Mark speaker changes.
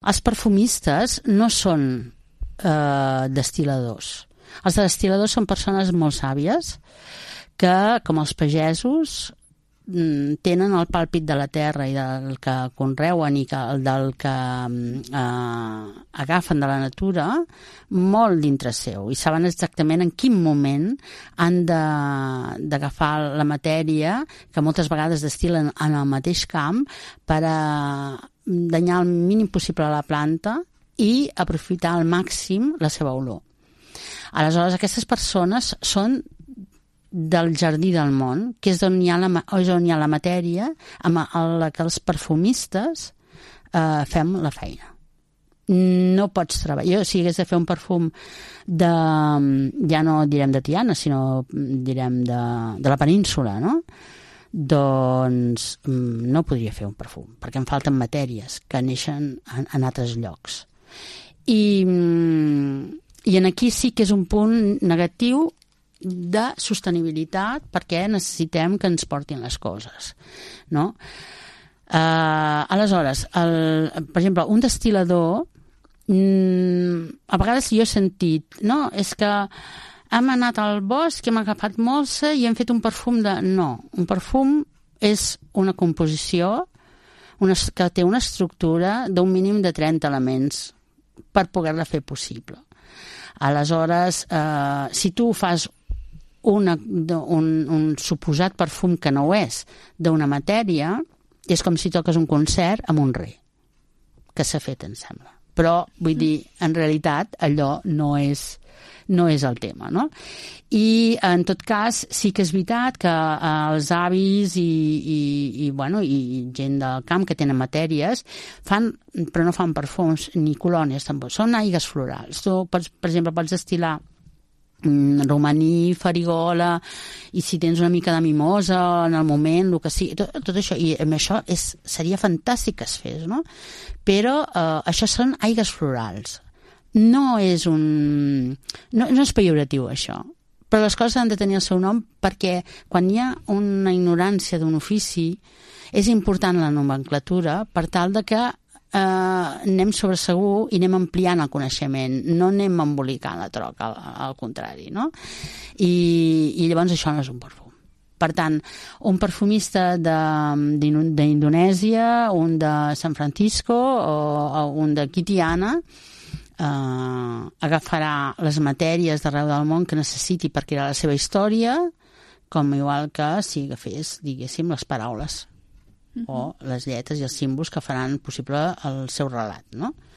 Speaker 1: Els perfumistes no són destil·ladors. Els destil·ladors són persones molt sàvies que, com els pagesos, tenen el pàlpit de la terra i del que conreuen i del que agafen de la natura molt dintre seu i saben exactament en quin moment han d'agafar la matèria que moltes vegades destil·len en el mateix camp per a danyar el mínim possible a la planta i aprofitar al màxim la seva olor. Aleshores, aquestes persones són del jardí del món, que és on hi ha la matèria amb la que els perfumistes fem la feina. No pots treballar. Jo, si hagués de fer un perfum ja no direm de Tiana, sinó direm de la península, no? Doncs no podria fer un perfum, perquè em falten matèries que neixen en altres llocs. I aquí sí que és un punt negatiu de sostenibilitat perquè necessitem que ens portin les coses, no? Aleshores, per exemple, un destil·lador, a vegades jo he sentit, no, és que hem anat al bosc, hem agafat molsa i hem fet un perfum de... No, un perfum és una composició que té una estructura d'un mínim de 30 elements per poder-la fer possible. Aleshores, si tu fas un suposat perfum que no ho és d'una matèria, és com si toques un concert amb un rei que s'ha fet, em sembla, però vull dir, en realitat allò no és el tema, no? I en tot cas sí que és veritat que els avis i gent del camp que tenen matèries fan, però no fan perfums ni colònies tampoc, són aigues florals. Tu per exemple pots destil·lar romaní, farigola, i si tens una mica de mimosa en el moment, el que sigui, tot això, i amb això seria fantàstic que es fes, no? Però això són aigues florals. No és pejoratiu, això, però les coses han de tenir el seu nom perquè quan hi ha una ignorància d'un ofici és important la nomenclatura per tal de que anem sobre segur i anem ampliant el coneixement, no anem embolicant la troca, al contrari, no? I llavors això no és un perfum. Per tant, un perfumista d'Indonèsia, un de San Francisco o un de Tiana agafarà les matèries d'arreu del món que necessiti per crear la seva història, com igual que si agafés, diguéssim, les paraules o les lletres i els símbols que faran possible el seu relat, no?